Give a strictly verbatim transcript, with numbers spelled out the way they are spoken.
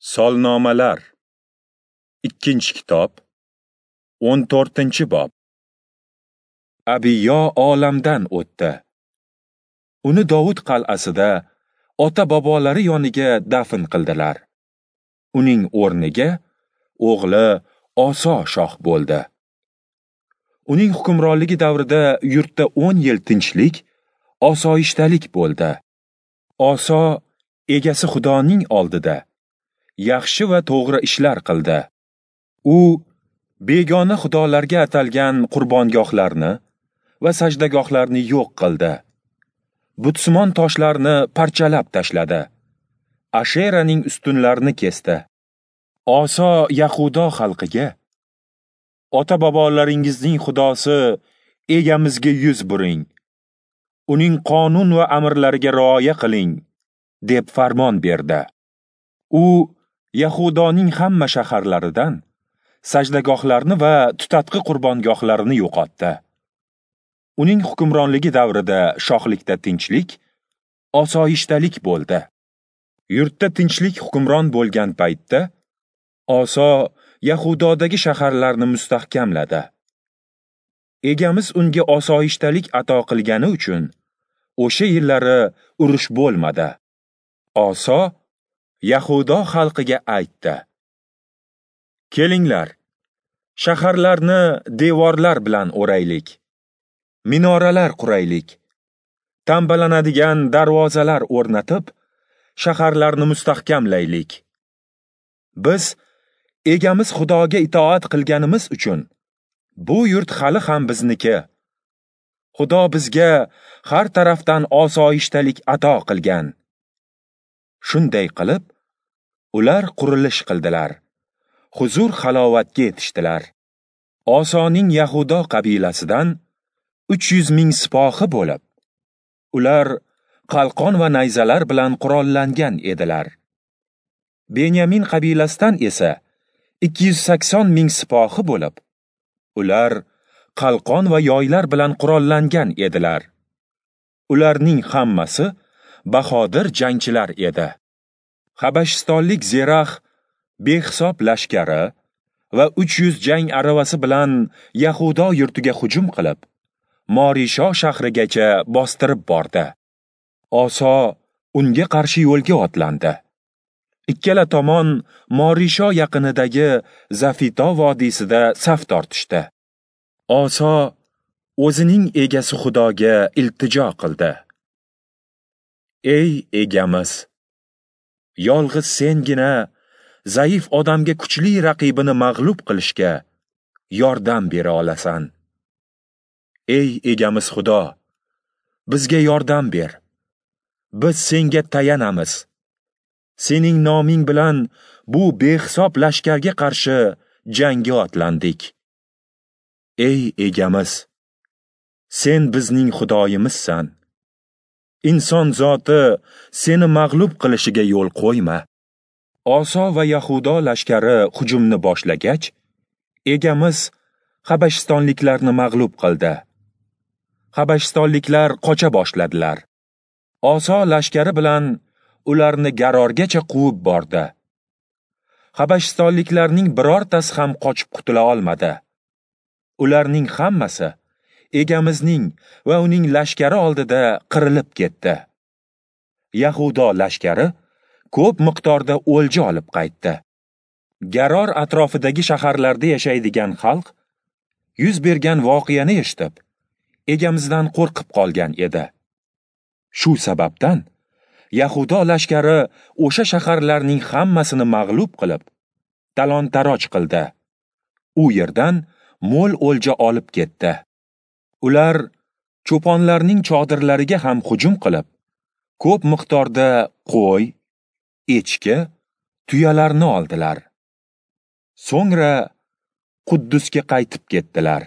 Solnomalar, ikkinchi kitob, o'n to'rtinchi bob. Abiyo olamdan o'tdi. Uni Dovud qal'asida ota-bobolari yoniga dafn qildilar. Uning o'rniga o'g'li Oso shoh bo'ldi. Uning hukmronligi davrida yurtda o'n yil tinchlik, osoyishtalik bo'ldi. Oso egasi Xudoning oldida yaxshi va to'g'ri ishlar qildi. U begona xudolarga atalgan qurbongohlarni va sajdagohlarni yo'q qildi. Butsimon toshlarni parchalab tashladi. Asheraning ustunlarini kesdi. Oso Yahudo xalqiga: ota-bobolaringizning Xudosi egamizga yuz buring. Uning qonun va amrlariga rioya qiling, deb farmon berdi. U Yahudoning hamma shaharlaridan sajdagohlarni va tutatqi qurbongohlarini yo'qotdi. Uning hukmronligi davrida shohlikda tinchlik, osoyishtalik bo'ldi. Yurtda tinchlik hukmron bo'lgan paytda Oso Yahudodagi shaharlarni mustahkamladi. Egamiz unga osoyishtalik ato qilgani uchun o'sha yillari urush bo'lmadi. Oso Yahudo xalqiga aytdi: Kelinglar, shaharlarni devorlar bilan o'raylik, minoralar quraylik, tambalanadigan darvozalar o'rnatib, shaharlarni mustahkamlaylik. Biz egamiz Xudoga itoat qilganimiz uchun bu yurt hali ham bizniki. Xudo bizga har tarafdan osoyishtalik ato qilgan. Shunday qilib, ular qurilish qildilar. Huzur halovatga yetishdilar. Osoning Yahudo qabilasidan uch yuz ming sipohi bo'lib, ular qalqon va nayzalar bilan qurollangan edilar. Benyamin qabilasidan esa ikki yuz sakson ming sipohi bo'lib, ular qalqon va yoylar bilan qurollangan edilar. Ularning hammasi bahodir jangchilar edi. Habashistonlik Zerax behisob lashkari va uch yuz jang aravasi bilan Yahudo yurtiga hujum qilib, Morisho shahrigacha bostirib bordi. Oso unga qarshi yo'lga otlandi. Ikkala tomon Morisho yaqinidagi Zafito vodiysida saf tortishdi. Oso o'zining egasi Xudoga iltijo qildi. Ey egamiz, yolg'iz sengina zaif odamga kuchli raqibini mag'lub qilishga yordam bera olasan. Ey egamiz Xudo, bizga yordam ber. Biz senga tayanamiz. Sening noming bilan bu behisob lashkarga qarshi jangga otlandik. Ey egamiz, sen bizning Xudoyimizsan. Inson zoti seni mag'lub qilishiga yo'l qo'yma. Oso va Yahudo lashkari hujumni boshlagach, egamiz habashistonliklarni mag'lub qildi. Habashistonliklar qocha boshladilar. Oso lashkari bilan ularni Garorgacha quvib bordi. Habashistonliklarning birortasi ham qochib qutula olmadi. Ularning hammasi egamizning va uning lashkari oldida qirilib ketdi. Yahudo lashkari ko'p miqdorda o'lja olib qaytdi. Garor atrofidagi shaharlarda yashaydigan xalq yuz bergan voqeani eshitib, egamizdan qo'rqib qolgan edi. Shu sababdan Yahudo lashkari o'sha shaharlarning hammasini mag'lub qilib, talon-taroj qildi. U yerdan mo'l o'lja olib ketdi. Ular cho'ponlarning chodirlariga ham hujum qilib, ko'p miqdorda qo'y, echki, tuyalarni oldilar. So'ngra Quddusga qaytib ketdilar.